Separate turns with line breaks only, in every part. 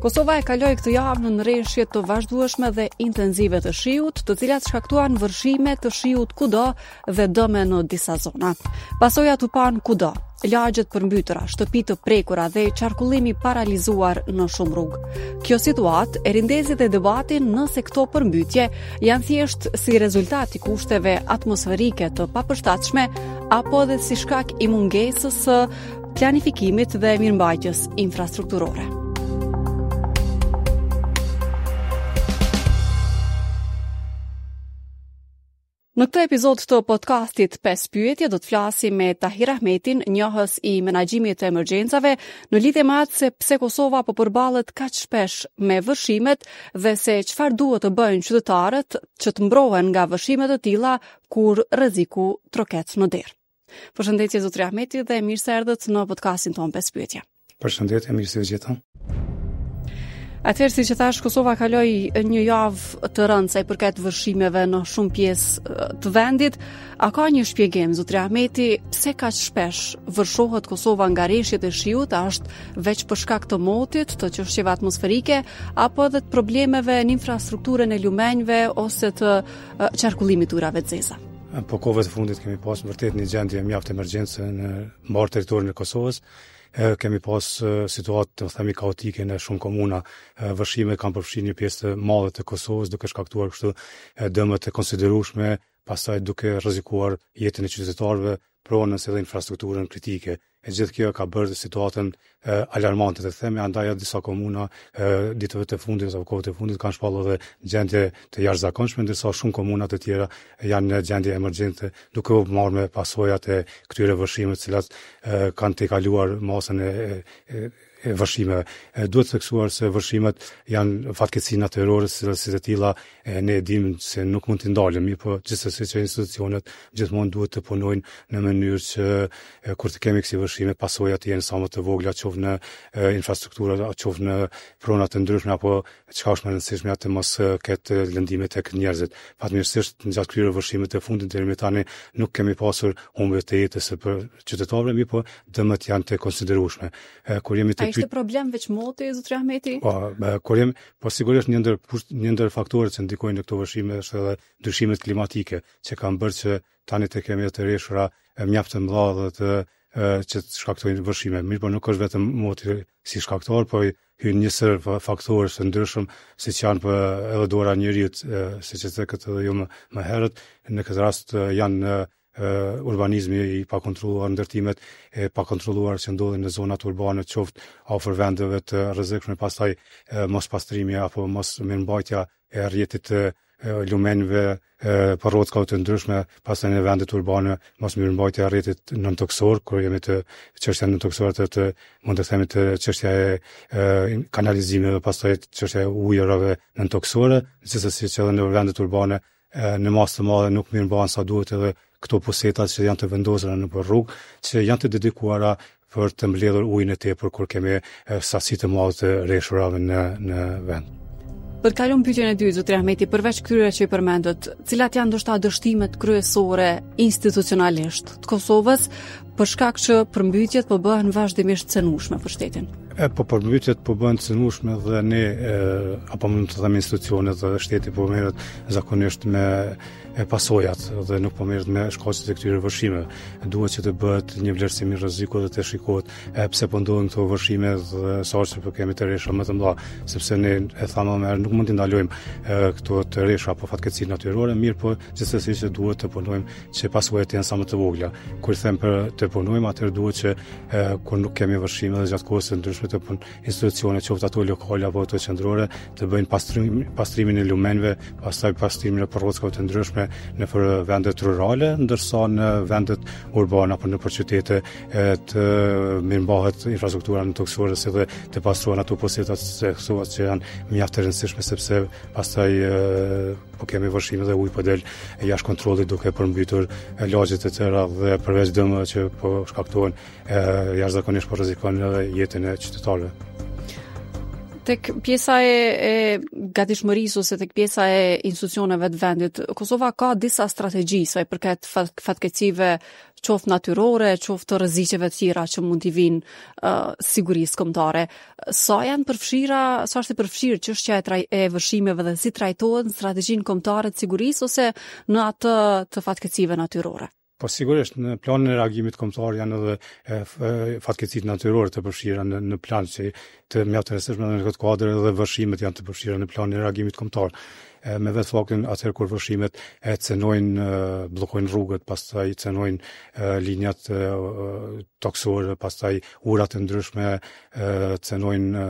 Kosova e kaloi këtë javë nën reshje të vazhdueshme dhe intenzive të shiut, të cilat shkaktuan vërshime të shiut kudo dhe dëme në disa zona. Pasojat u panë kudo, lagje të përmbytura, shtëpi të prekura dhe qarkullim i paralizuar në shumë rrugë. Kjo situatë e rindezi dhe debatin nëse këto përmbytje janë thjesht si rezultat i kushteve atmosferike të papërshtatshme apo edhe si shkak i mungesës së planifikimit dhe mirëmbajtjes infrastrukturore. Në këtë epizod të podcastit 5 pyetje do të flasim me Tahir Ahmetin, njohës i menaxhimit të emergjencave, në lidhje me atë se pse Kosova po përballet kaq shpesh me vërshimet dhe se çfarë duhet të bëjnë qytetarët që të mbrohen nga vërshime të tilla kur rreziku troket në derë. Përshëndetje zotri Ahmeti dhe mirë se erdhët në podcastin tonë 5 pyetje.
Përshëndetje, mirë se ju gjeta.
Atëherë siç e thashë Kosova kaloi një javë të rëndë sa i përket vërshimeve në shumë pjesë të vendit. A ka një shpjegim zotri Ahmeti pse kaq shpesh vërshohet Kosova nga reshjet e shiut? A është veç për shkak të motit, të çështjeve atmosferike apo edhe të problemeve në infrastrukturën e lumenjve ose të qarkullimit të ujërave të zeza?
Po kohëve të fundit kemi pas vërtet një gjendje mjaft emergjence në mbarë territorin e Kosovës. E, kemi pas situatë të themi kaotike në shumë komuna. Vërshimet kanë përfshirë një pjesë të madhe të Kosovës, duke shkaktuar kështu dëme të konsiderueshme, pastaj duke rrezikuar jetën e qytetarëve, pronën si dhe infrastrukturën kritike. E gjithë kjo ka bërë situatën e, alarmante të themi, andaj edhe disa komuna e, ditëve të fundit apo kohëve të fundit kanë shpallur edhe gjendje të jashtëzakonshme, ndërsa shumë komuna të tjera janë në gjendje emergjente, duke u marrë me pasojat e këtyre vërshimeve, të cilat e, kanë tejkaluar masën e, e, e vërshimeve. Duhet theksuar se vërshimet janë fatkeqësi natyrore, si si të tilla e ne e dimë se nuk mund t'i ndalim, mirëpo gjithsesi që institucionet gjithmonë duhet të punojnë në mënyrë që e, kur të kemi kësi vërshime, pasojat të jenë sa më të vogla, qoftë në infrastruktura, qoftë në prona të ndryshme apo çka është më e rëndësishme të mos ketë lëndime tek njerëzit. Fatmirësisht gjatë këtyre vërshimeve të fundit deri më tani nuk kemi pasur humbje të jetës së qytetarëve, mirëpo dëmet janë të konsiderueshme.
Kur jemi të A ishte problem veç moti, zotri Ahmeti?
Po, kur jemi, po sigurisht një ndër një ndër faktorët që ndikojnë në këto vërshime është edhe ndryshimet klimatike që kanë bërë që tani të kemi të reshura mjaft të mëdha dhe të që të shkaktojnë vërshime. Mirëpo nuk është vetëm moti si shkaktar, po hyn një sërë faktorësh të ndryshëm, siç janë për edhe dora e njeriut, siç e cekët edhe ju më, më herët, në këtë rast janë urbanizmi i pakontrolluar, ndërtimet e pakontrolluar që ndodhin në zonat urbane, qoftë afër vendeve të rrezikshme, pastaj mospastrimi apo mosmirëmbajtja e rrjetit të lumenjve, përrockave të ndryshme, pastaj në vendet urbane, mosmirëmbajtja e rrjetit nëntokësor, kur jemi te çështja nëntokësore të, të mund të themi të çështja e, e kanalizimeve, pastaj çështja e ujërave nëntokësore, gjithsesi që edhe në vendet urbane në masë të madhe nuk mirëmbahen sa duhet edhe këto puseta që janë të vendosura nëpër rrugë, që janë të dedikuara për të mbledhur ujin e tepër kur kemi sasi të madhe të reshurave në në
vend. Për të kaluar pyetjen e dytë, zotri Ahmeti, përveç këtyre që i përmendët, cilat janë ndoshta dështimet kryesore institucionalisht të Kosovës për shkak që përmbytjet po bëhen vazhdimisht cenueshme për
shtetin? E, po përmbytjet po bëhen cenueshme dhe ne, e, apo mund të them institucionet dhe shteti po merret zakonisht me e pasojat dhe nuk po merret me shkaqet e këtyre vërshimeve. Duhet që të bëhet një vlerësim i rrezikut dhe të shikohet e pse po ndodhin këto vërshime dhe sa që po kemi të reshura më të mëdha, sepse ne e thamë më herët nuk mund t'i ndalojmë këto të reshura apo fatkeqësi natyrore, mirëpo gjithsesi që duhet të punojmë që pasojat të jenë sa më të vogla. Kur them për të punojmë, atëherë duhet që e, kur nuk kemi vërshime dhe gjatë kohës së ndryshme të pun institucione, qoftë ato lokale apo ato qendrore, të bëjnë pastrim, pastrimin e lumenjve, pastaj pastrimin e përrockave të ndryshme nëpër vendet rurale, ndërsa në vendet urbane apo nëpër qytete e, të mirëmbahet infrastruktura nëntokësore si dhe të pastrohen ato pusetat që janë mjaft të rëndësishme sepse pastaj e, po kemi vërshime dhe uji po del jashtë kontrollit duke përmbytur lagjet e tëra dhe përveç dëmeve që po shkaktohen jashtëzakonisht po rrezikon edhe jetën e qytetarëve.
Tek pjesa e, e gatishmërisë ose tek pjesa e institucioneve të vendit, Kosova ka disa strategji sa i përket fat, fatkeqësive qoftë natyrore, qoftë të rreziqeve të tjera që mund t'i vijnë uh, sigurisë kombëtare. Sa janë përfshira, sa është e përfshirë çështja e, traj, e vërshimeve dhe si trajtohet në strategjinë kombëtare të sigurisë ose në atë të fatkeqësive natyrore?
Po sigurisht në planin e reagimit kombëtar janë edhe fatkeqësitë natyrore të përfshira në në plan që të mjaft të rëndësishme në këtë kuadër edhe vërshimet janë të përfshira në planin e reagimit kombëtar. Me vetë faktin atëherë kur vërshimet e cenojnë, bllokojnë rrugët, pastaj cenojnë linjat tokësore, pastaj urat e ndryshme, cenojnë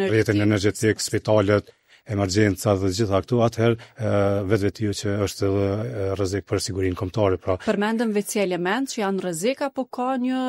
rrjetin energjetik, spitalet, emergjenca dhe gjitha këto, atëherë vetvetiu që është edhe rrezik për sigurinë kombëtare.
Pra, Përmendëm veç si element që janë rrezik apo ka një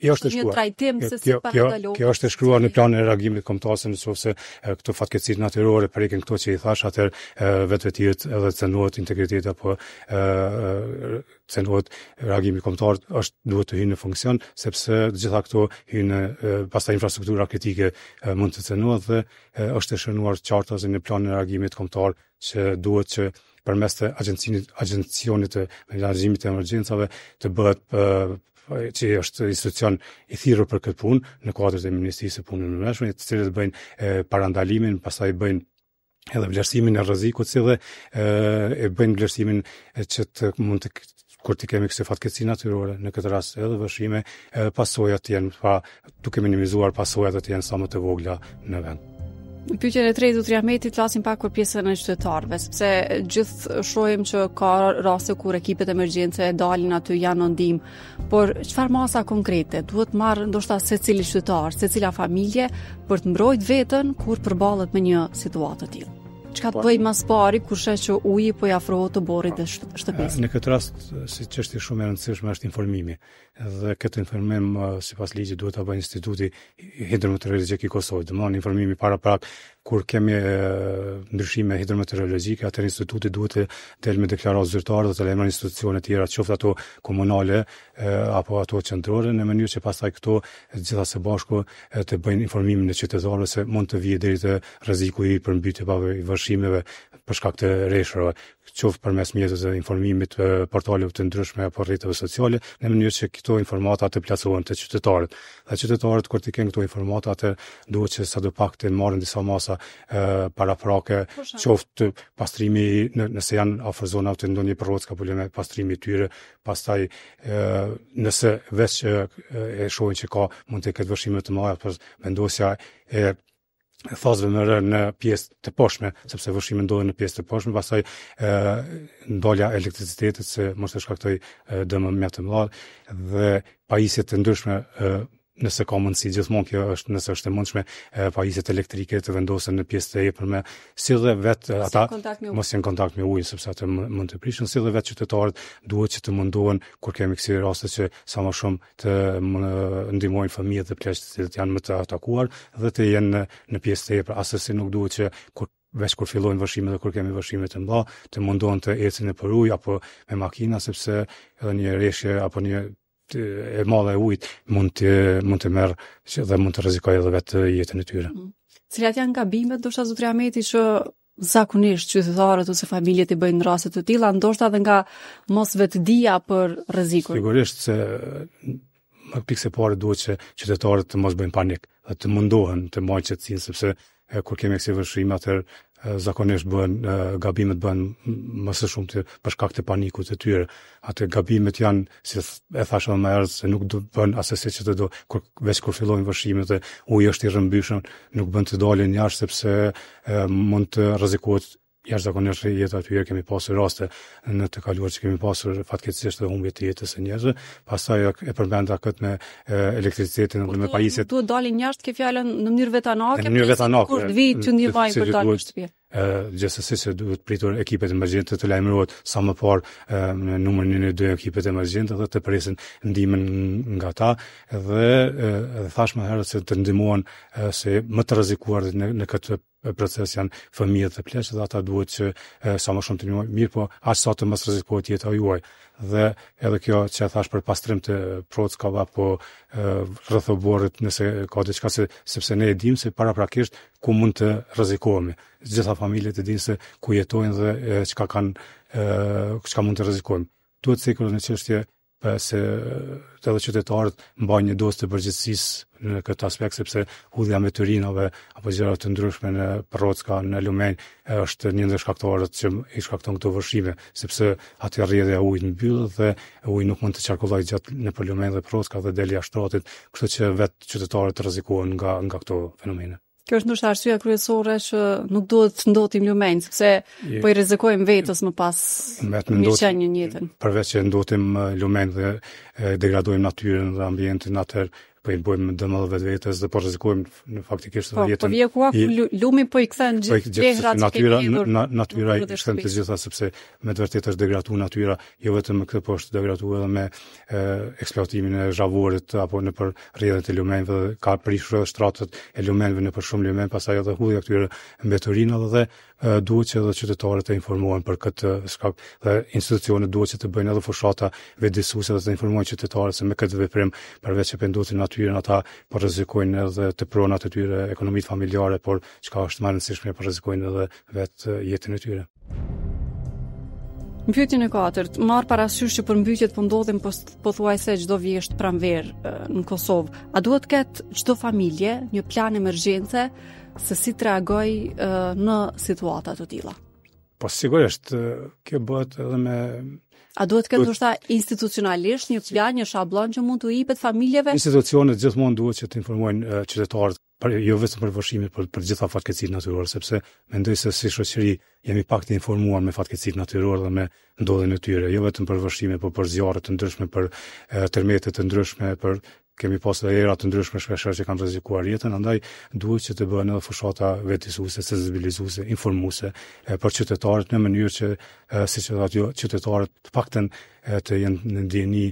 jo është një trajtim se si
parandalohet? Kjo, kjo është e shkruar në planin e reagimit kombëtar se në qoftë se këto fatkeqësitë natyrore prekin këto që i thash, atëherë vetvetiu edhe cenohet integriteti apo cenohet reagimi kombëtar është duhet të hyjë në funksion sepse të gjitha këto hyjnë pastaj infrastruktura kritike mund të cenohet dhe është e shënuar qartazi në planin e reagimit kombëtar që duhet që përmes të agjencinit agjencionit të menaxhimit të emergjencave të bëhet që është institucion i thirrur për këtë punë në kuadër të Ministrisë së Punëve të Brendshme, të cilët bëjnë parandalimin, pastaj bëjnë edhe vlerësimin e rrezikut si dhe e, e bëjnë vlerësimin që të mund të kur të kemi kësi fatkeqësi natyrore, në këtë rast edhe vërshime, edhe pasojat të jenë, pra duke minimizuar pasojat të jenë sa më të vogla në
vend. Në pyetjen e tretë zotri Ahmeti flasim pak për pjesën e qytetarëve, sepse gjithë shohim që ka raste kur ekipet emergjence dalin aty janë në ndihmë, por çfarë masa konkrete duhet marrë ndoshta secili qytetar, secila familje për të mbrojtë veten kur përballet me një situatë të tillë? Çka të po. bëjë më së pari kur sheh që uji po i afrohet oborrit dhe shtëpisë?
Në këtë rast, si çështje shumë e rëndësishme është informimi. Dhe këtë informim sipas ligjit duhet ta bëjë Instituti Hidrometeorologjik i Kosovës. Domthonë informimi paraprak kur kemi ndryshime hidrometeorologjike, atëherë instituti duhet të del me deklaratë zyrtare dhe të lajmërojë institucione tjera, qoftë ato komunale apo ato qendrore, në mënyrë që pastaj këto të gjitha së bashku të bëjnë informimin e qytetarëve se mund të vijë deri te rreziku i përmbytjeve apo i vërshimeve për shkak të reshjeve, qoftë përmes mjeteve të informimit, portaleve të ndryshme apo rrjeteve sociale, në mënyrë që këto informata të plasohen te qytetarët. Dhe qytetarët kur të kenë këto informata, atë duhet që sado pak të marrin disa masa paraprake, qoftë pastrimi në, nëse janë afër zonave të ndonjë përrocë ka probleme pastrimi i tyre, pastaj nëse veç e shohin që ka mund të ketë vërshime të mëdha, por vendosja e thasëve me rërë në pjesë të poshtme, sepse vërshimet ndodhin në pjesë të poshtme, pastaj e, ndalja e elektricitetit se mos të shkaktojë dëme mjaft të mëdha dhe pajisje të ndryshme e, nëse ka mundësi gjithmonë kjo është nëse është e mundshme pajisjet elektrike të vendosen në pjesë të epërme, si dhe vetë ata mos jenë në kontakt me ujin sepse atë mund të prishen, si dhe vetë qytetarët duhet që të mundohen kur kemi kësi raste që sa më shumë të ndihmojnë fëmijët dhe pleqtë të cilët janë më të atakuar dhe të jenë në, në pjesë të epërme. Assesi nuk duhet që kur veç kur fillojnë vërshimet dhe kur kemi vërshime të mëdha, të mundohen të ecin nëpër ujë apo me makina sepse edhe një reshje apo një e madhe e ujit mund të mund të merr që dhe mund të rrezikojë edhe vetë jetën e tyre.
Mm. Cilat janë gabimet ndoshta zotri Ahmeti që zakonisht qytetarët ose familjet i bëjnë në raste të tilla, ndoshta edhe nga mosvetëdija për rrezikun.
Sigurisht se më pikë së pari duhet që qytetarët të mos bëjnë panik dhe të mundohen të mbajnë qetësinë sepse e, kur kemi kësi vërshime atëherë zakonisht bëhen gabimet bëhen më së shumti për shkak të panikut të tyre. Atë gabimet janë, si e thashë edhe më herët, se nuk do bën assesi që të do kur veç kur fillojnë vërshimet dhe uji është i rrëmbyshëm, nuk bën të dalin jashtë sepse e, mund të rrezikohet jashtëzakonisht jeta e tyre, kemi pasur raste në të kaluar që kemi pasur fatkeqësisht edhe humbje të jetës së njerëzve. Pastaj e përmenda këtë me elektricitetin dhe me
pajisjet. Duhet dalin jashtë ke fjalën në mënyrë
vetanake. Në mënyrë vetanake.
Kur të vijë të ndihmojnë për dalë në shtëpi.
Gjithsesi se duhet pritur ekipet emergjente të lajmërohet sa më parë në numrin 112 ekipet emergjente dhe të presin ndihmën nga ta dhe edhe thashë më herët se të ndihmohen se më të rrezikuar në, në këtë proces janë fëmijët dhe pleqtë dhe ata duhet që sa më shumë të ndihmojnë, mirëpo aq sa të mos rrezikohet jeta juaj. Dhe edhe kjo që e thash për pastrim të prockave apo rreth oborrit nëse ka diçka se sepse ne e dimë se paraprakisht ku mund të rrezikohemi. Të gjitha familjet e dinë se ku jetojnë dhe çka kanë çka mund të rrezikojmë. Duhet cekur edhe një çështje se edhe qytetarët mbajnë një dozë të përgjegjësisë në këtë aspekt sepse hudhja e mbeturinave apo gjëra të ndryshme në përrocka, në lumenj është një ndër shkaktarët që i shkakton këto vërshime, sepse aty rrjedhja e ujit mbyllet dhe uji nuk mund të qarkullojë gjatë nëpër lumenj dhe përrocka dhe del jashtë shtratit, kështu që vetë qytetarët rrezikohen nga nga këto fenomene.
Kjo është ndoshta arsyeja kryesore që nuk duhet të ndotim lumenj, sepse po i rrezikojmë vetes më pas mirëqenien
jetën. Përveç që ndotim lumenj dhe degradojmë natyrën dhe ambientin atëherë po i bëjmë dëm edhe vetvetes dhe po rrezikojmë në faktikisht
edhe po, jetën. Po vjen koha ku lumi po i kthen
po gjithë plehrat që kemi hedhur. Natyra, natyra i kthen të gjitha sepse me të vërtetë është degraduar natyra, jo vetëm me këtë, po është degraduar edhe me eksploatimin e zhavorit apo nëpër rrjedhjet e lumenjve dhe ka prishur edhe shtratet e lumenjve nëpër shumë lumenj, pastaj edhe hudhja këtyre mbeturinave dhe duhet që edhe qytetarët të informohen për këtë shkak dhe institucionet duhet që të bëjnë edhe fushata vetëdijësuese dhe të informojnë qytetarët se me këtë veprim përveç që po ndotin natyrën ata po rrezikojnë edhe të pronat e tyre, ekonomitë familjare, por çka është më e rëndësishme po rrezikojnë edhe vetë jetën e tyre.
Në pyetjen e katërt, marrë parasysh që përmbytjet po ndodhin pothuajse çdo vjeshtë pranverë në Kosovë, a duhet të ketë çdo familje një plan emergjence se si të reagojë në situata të
tilla? Po sigurisht, kjo bëhet edhe me
A duhet të ketë ndoshta institucionalisht një plan, një shablon që mund t'u jepet familjeve?
Institucionet gjithmonë duhet që të informojnë qytetarët për jo vetëm për vërshimet, por për gjitha fatkeqësitë natyrore, sepse mendoj se si shoqëri jemi pak të informuar me fatkeqësitë natyrore dhe me ndodhjen e tyre, jo vetëm për vërshime, por për zjarre të ndryshme, për tërmete të ndryshme, për kemi pasur edhe era të ndryshme shpeshherë që kanë rrezikuar jetën, andaj duhet që të bëhen edhe fushata vetëdijësuese, sensibilizuese, informuese për qytetarët në mënyrë që siç e thatë ju, qytetarët të paktën të jenë në dijeni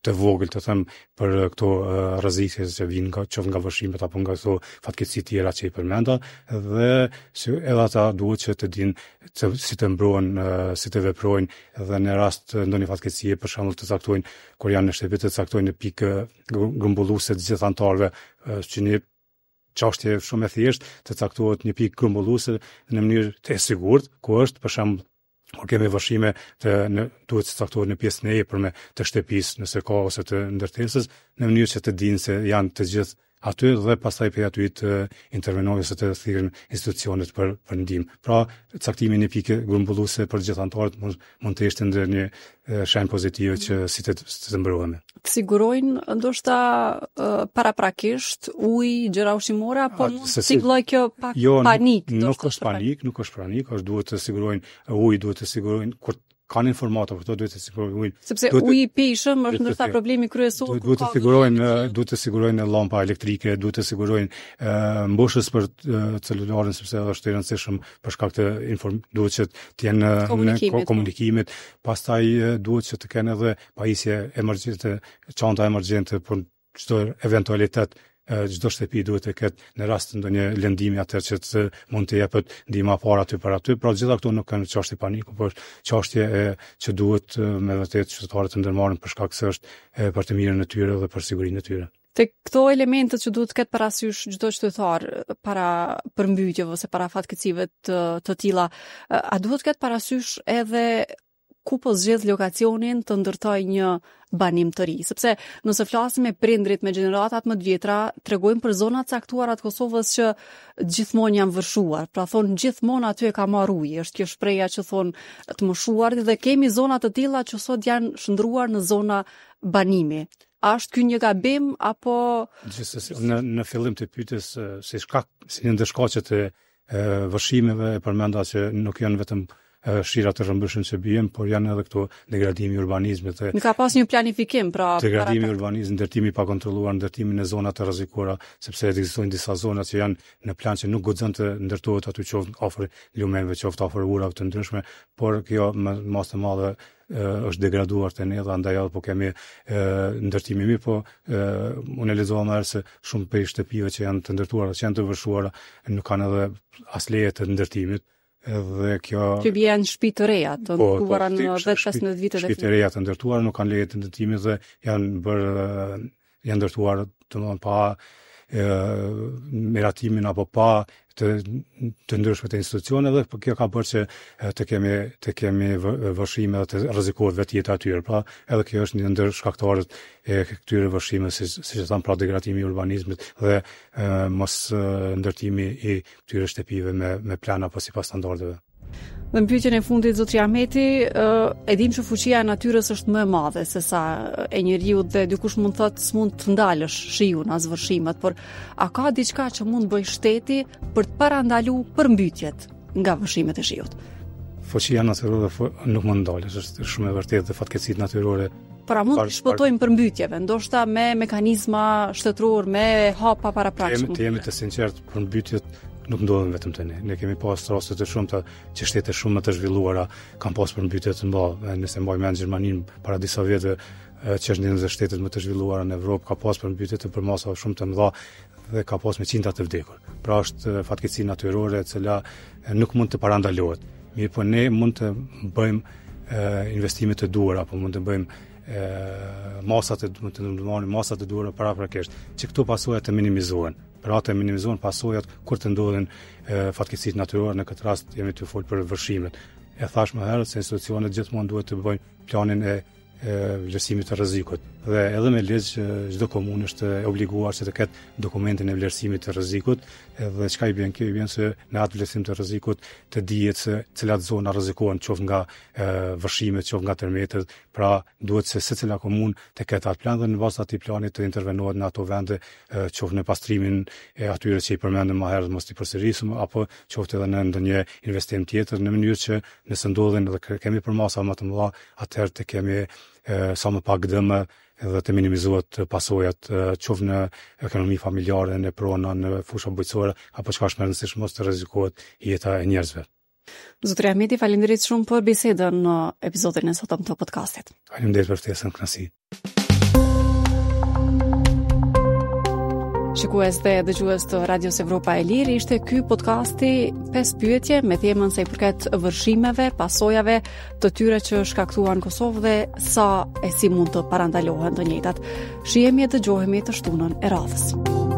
të vogël, të them, për këto rreziqe që vijnë nga qoftë nga vërshimet apo nga këto fatkeqësi tjera që i përmenda dhe si edhe ata duhet që të dinë të, si të mbrohen, si të veprojnë dhe në rast ndonjë fatkeqësie, për shembull të caktojnë kur janë në shtëpi të caktojnë një pikë grumbulluese të gjithë anëtarëve që një çështje shumë e thjeshtë, të caktohet një pikë grumbulluese në mënyrë të sigurt, ku është për shembull kur kemi vërshime të në duhet të caktohet në pjesën e epërme të shtëpisë, nëse ka ose të ndërtesës, në mënyrë që të dinë se janë të gjithë aty dhe pastaj prej aty të intervenojnë ose të thirren institucionet për për ndihmë. Pra, caktimi i një pike grumbulluese për gjithë anëtarët mund mund të ishte ndonjë shenjë pozitive që si të si të
mbrohemi. Të sigurojnë ndoshta paraprakisht ujë, gjëra ushqimore apo mund të sigullojë kjo pak
jo, panik? Nuk, nuk është panik, nuk është panik, është duhet të sigurojnë ujë, duhet të sigurojnë kur kanë informata për to duhet të sigurojnë
ujin. Sepse uji i pijshëm është ndoshta problemi kryesor.
Duhet, duhet të sigurojnë duhet të sigurojnë llampa elektrike, duhet të sigurojnë mbushës për celularin sepse është i rëndësishëm për shkak të inform duhet që të jenë në komunikimit. Po. komunikimit. Pastaj duhet që të kenë edhe pajisje emergjente, çanta emergjente për çdo eventualitet çdo shtëpi duhet të ketë në rast ndonjë lëndimi atëherë që të mund të jepet ndihma e parë aty për aty. Pra gjitha këto nuk kanë çështje paniku, por është çështje e që duhet me vërtet qytetarët të ndërmarrin për shkak se është e, për të mirën e tyre dhe për sigurinë e tyre.
Te këto elementet që duhet të ketë parasysh çdo qytetar para përmbytjeve ose para fatkeqësive të, të tilla, a duhet të ketë parasysh edhe ku po zgjedh lokacionin të ndërtojë një banim të ri. Sepse nëse flasim me prindrit, me gjeneratat më të vjetra, tregojnë për zona të caktuara të Kosovës që gjithmonë janë vërshuar. Pra thonë gjithmonë aty e ka marrë uji. Është kjo shprehja që thonë të moshuarit dhe kemi zona të tilla që sot janë shndërruar në zona banimi. A është ky një gabim apo
Gjithsesi, në në fillim të pyetjes si shkak si një ndër shkaqet e vërshimeve e përmenda që nuk janë vetëm shira të rrëmbyeshëm që bien, por janë edhe këto degradimi i urbanizmit
dhe Nuk ka pas një planifikim, pra
degradimi i urbanizmit, ndërtimi i pakontrolluar, ndërtimi në zona të rrezikuara, sepse ekzistojnë disa zona që janë në plan që nuk guxon të ndërtohet aty qoftë afër lumenjve, qoftë afër urave të ndryshme, por kjo në masë të madhe është degraduar te ne dhe andaj edhe po kemi ndërtimi mirëpo unë e lexova më herët se shumë prej shtëpive që janë të ndërtuara, që janë të vërshuara, nuk kanë edhe as leje të ndërtimit,
edhe kjo Që bie janë shtëpi të reja, të po, po ndërtuara në 10-15 vitet
e fundit. Shtëpi të reja të ndërtuara nuk kanë leje të ndërtimit dhe janë bërë janë ndërtuar domethënë pa e, miratimin apo pa të, të ndryshme të institucioneve, por kjo ka bërë që të kemi të kemi vërshime dhe të rrezikohet vetë jeta e tyre. Pra, edhe kjo është një ndër shkaktarët e këtyre vërshimeve, si siç e thamë, pra degradimi i urbanizmit dhe e, mos ndërtimi i këtyre shtëpive me me plan apo sipas standardeve.
Dhe në pyetjen e fundit zotri Ahmeti, e dim që fuqia e natyrës është më e madhe se sa e njeriut dhe dikush mund të thotë s'mund të ndalësh shiun as vërshimet, por a ka diçka që mund të bëjë shteti për të parandalu përmbytjet nga vërshimet e
shiut? Fuqia natyrore nuk mund ndalet, është shumë e vërtetë dhe fatkeqësitë natyrore
Pra mund të shpëtojmë përmbytjeve, ndoshta me mekanizma shtetëror, me hapa paraprakshëm.
Të jemi të sinqertë, përmbytjet nuk ndodhin vetëm te ne. Ne kemi pas raste të shumta që shtete shumë më të zhvilluara kanë pas përmbytje të mëdha. Nëse mbaj mend Gjermaninë para disa vjetëve që është një ndër shtetet më të zhvilluara në Evropë, ka pas përmbytje të përmasave shumë të mëdha dhe ka pas me qindra të vdekur. Pra është fatkeqësi natyrore e cila nuk mund të parandalohet. Mirëpo ne mund të bëjmë investime të duhura, apo mund të bëjmë masat e mund të ndërmarrim masat e duhura paraprakisht, që këto pasoja të minimizohen. Pra të minimizohen pasojat kur të ndodhin fatkeqësitë natyrore, në këtë rast jemi tu fol për vërshimet. E thash më herët se institucionet gjithmonë duhet të bëjnë planin e e vlerësimit të rrezikut. Dhe edhe me ligj çdo komunë është e obliguar që të ketë dokumentin e vlerësimit të rrezikut, edhe çka i bjen kjo i bjen se në atë vlerësim të rrezikut të dihet se cilat zona rrezikohen qoftë nga vërshimet, qoftë nga tërmetet, pra duhet se secila komunë të ketë atë plan dhe në bazë të atij plani të intervenohet në ato vende, qoftë në pastrimin e atyre që i përmendëm më herët, mos t'i përsërisim, apo qoftë edhe në ndonjë investim tjetër në mënyrë që nëse ndodhin dhe kemi përmasa më të mëdha, atëherë të kemi sa më pak dëme dhe të minimizohet pasojat qoftë në ekonomi familjare, në prona, në fusha bujqësore, apo çka është më e rëndësishme mos të rrezikohet jeta e njerëzve.
Zotri Ahmeti, faleminderit shumë për bisedën në episodin e sotëm të
podcastit. Faleminderit për ftesën, kënaqësi.
Shikues dhe dëgjues të Radios Evropa e Lirë, ishte ky podcasti 5 pyetje me temën sa i përket vërshimeve, pasojave të tyre që shkaktuan në Kosovë dhe sa e si mund të parandalohen të njëjtat. Shihemi e dëgjohemi të shtunën e radhës.